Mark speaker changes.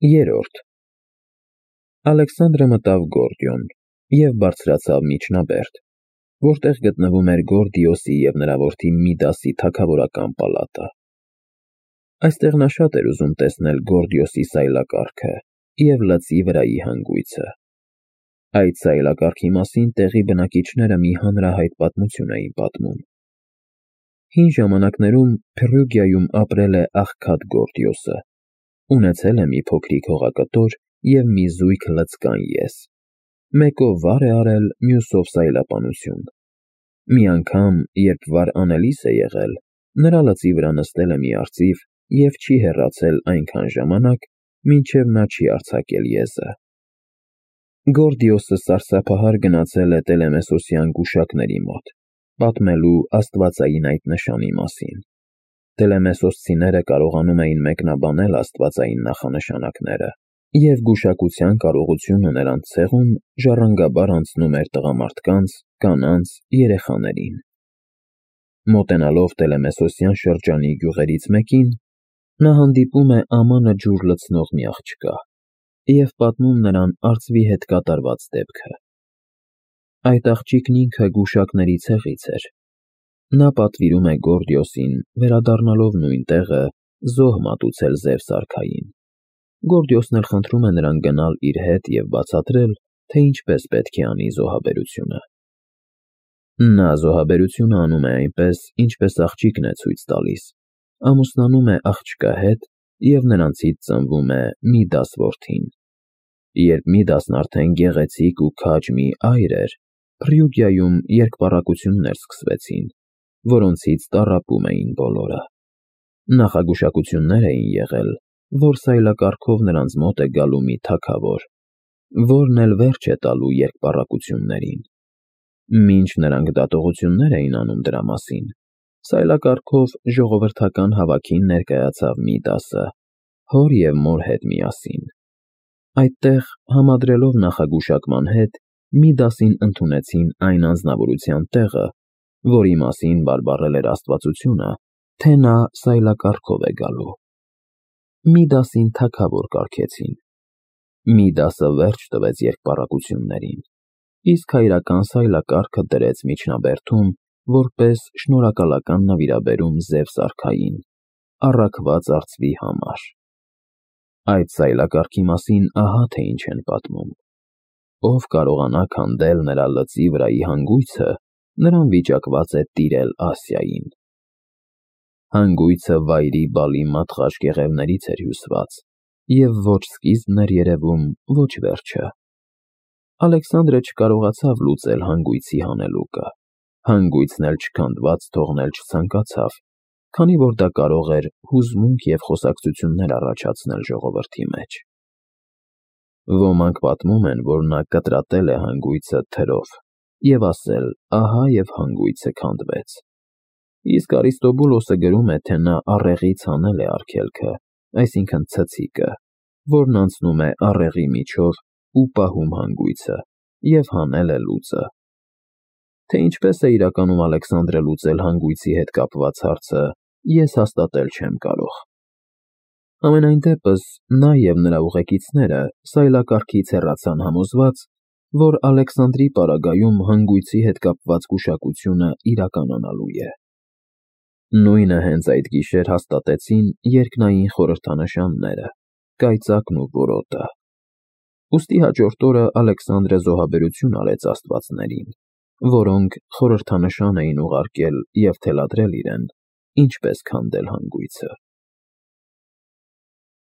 Speaker 1: Երրորդ Ալեքսանդրը մտավ Գորդիոն և բարձրացավ միջնաբերդ, որտեղ գտնվում էր Գորդիոսի և նրա որդի Միդասի թագավորական պալատը։ Այստեղ նա շատ էր ուզում տեսնել Գորդիոսի սայլակարգը և լծի վրայի հանգույցը։ Այդ սայլակարգի մասին տեղի բնակիչները մի հանրահայտ պատմություն էին պատմում։ Հին ժամանակներում Փրուգիայում ապրել է աղքատ Գորդիոսը, ունեցել է մի փոքրիկ հողակտոր և մի զույգ լծկան ես։ Մեկով վար է արել, մյուսով սայլապանություն։ Մի անգամ, երբ վար անելիս է եղել, նրա լծի վրա նստել է մի արծիվ և չի հեռացել այնքան ժամանակ, մինչև նա չի արձակել եզը։ Գորդիոսը սարսափահար գնացել է Տելեմեսոսյան գուշակների մոտ, պատմելու աստվածային այդ նշանի մասին։ Տելեմեսոսցիները կարողանում էին մեկնաբանել աստվածային նախանշանակները, և գուշակության կարողությունը նրանց ցեղում ժառանգաբար անցնում էր տղամարդկանց, կանանց, երեխաներին։ Մոտենալով Տելեմեսոսյան շրջանի գյուղերից մեկին, նա հանդիպում է ամանը ջուր լցնող մի աղջկա և պատմում նրան արծվի հետ կատարված դեպքը։ Այդ աղջիկն ինքը գուշակների ցեղից էր։ Նա պատվիրում է Գորդիոսին, վերադառնալով նույն տեղը, զոհ մատուցել Զևս արքային։ Գորդիոսն էլ խնդրում է նրան գնալ իր հետ և բացատրել, թե ինչպես պետք է անի զոհաբերությունը։ Նա զոհաբերությունը անում է այնպես, ինչպես աղջիկն է ցույց տալիս, ամուսնանում է աղջկա հետ և նրանցից ծնվում է Միդաս որդին։ Երբ Միդասն արդեն գեղեցիկ ու քաջ մի այր էր, Փրուգիայում երկպառակություններ սկսվեցին, որոնցից տառապում էին բոլորը։ Նախագուշակություններ էին եղել, որ սայլակարգով նրանց մոտ է գալու մի թագավոր, որն էլ վերջ է տալու երկպառակություններին։ Մինչ նրանք դատողություններ էին անում դրա մասին, սայլակարգով ժողովրդական հավաքին ներկայացավ Միդասը, հոր և մոր հետ միասին։ Այդտեղ, համադրելով նախագուշակման հետ, Միդասին ընդունեցին այն անձնավորության տեղը, որի մասին բարբառել էր աստվածությունը, թե նա սայլակարգով է գալու։ Միդասին թագավոր կարգեցին։ Միդասը վերջ տվեց երկպառակություններին, իսկ հայրական սայլակարգը դրեց միջնաբերդում որպես շնորհակալական նվիրաբերում Զևս արքային, առաքված արծվի համար։ Այդ սայլակարգի մասին ահա թե ինչ են պատմում. ով կարողանա քանդել նրա լծի վրայի հանգույցը, նրան վիճակված է տիրել Ասիային։ Հանգույցը վայրի բալի մատղաշ կեղևներից էր հյուսված, և ոչ սկիզբն էր երևում, ոչ վերջը։ Ալեքսանդրը չկարողացավ լուծել հանգույցի հանելուկը, հանգույցն էլ չքանդված թողնել չցանկացավ, քանի որ դա կարող էր հուզմունք և խոսակցություններ առաջացնել ժողովրդի մեջ։ Ոմանք պատմում են, որ նա կտրատել է հանգույցը թրով և ասել. «Ահա և հանգույցը քանդվեց»։ Իսկ Արիստոբուլոսը գրում է, թե նա առեղից հանել է արգելքը, այսինքն ցցիկը, որն անցնում է առեղի միջով ու պահում հանգույցը, և հանել է լուծը։ Թե ինչպես է իրականում Ալեքսանդրը լուծել հանգույցի հետ կապված հարցը, ես հաստատել չեմ կարող։ Համենայն դեպս, նա և նրա ուղեկիցները սայլակարգից հեռացան համոզված, որ Ալեքսանդրի պարագայում հանգույցի հետ կապված գուշակությունը իրականանալու է։ Նույնը հենց այդ գիշեր հաստատեցին երկնային խորհրդանշանները՝ կայծակն ու որոտը։ Ուստի հաջորդ օրը Ալեքսանդրը զոհաբերություն արեց աստվածներին, որոնք խորհրդանշան էին ուղարկել և թելադրել իրեն, ինչպես քանդել հանգույցը։